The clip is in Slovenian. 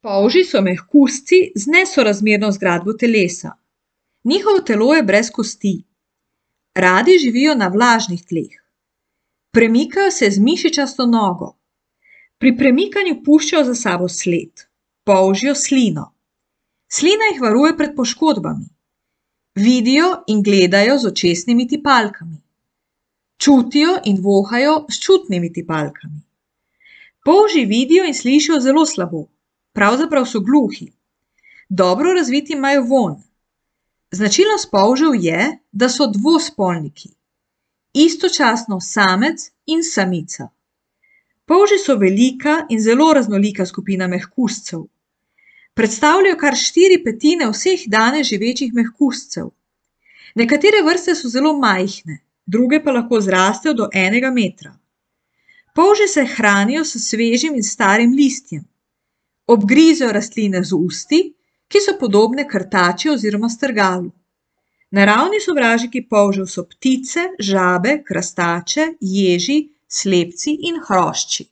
Polži so mehkužci z nesorazmerno zgradbo telesa. Njihovo telo je brez kosti. Radi živijo na vlažnih tleh. Premikajo se z mišičasto nogo. Pri premikanju puščajo za sabo sled. Polžijo slino. Slina jih varuje pred poškodbami. Vidijo in gledajo z očesnimi tipalkami. Čutijo in vohajo s čutnimi tipalkami. Polži vidijo in slišijo zelo slabo. Pravzaprav so gluhi. Dobro razviti imajo vonj. Značilnost polžev je, da so dvospolniki. Istočasno samec in samica. Polži so velika in zelo raznolika skupina mehkužcev. Predstavljajo kar 4/5 vseh danes živečih mehkužcev. Nekatere vrste so zelo majhne, druge pa lahko zrastejo do 1 metra. Polži se hranijo s svežim in starim listjem. Obgrizejo rastline z usti, ki so podobne krtači oziroma strgalu. Naravni sovražniki polžev so ptice, žabe, krastače, ježi, slepci in hrošči.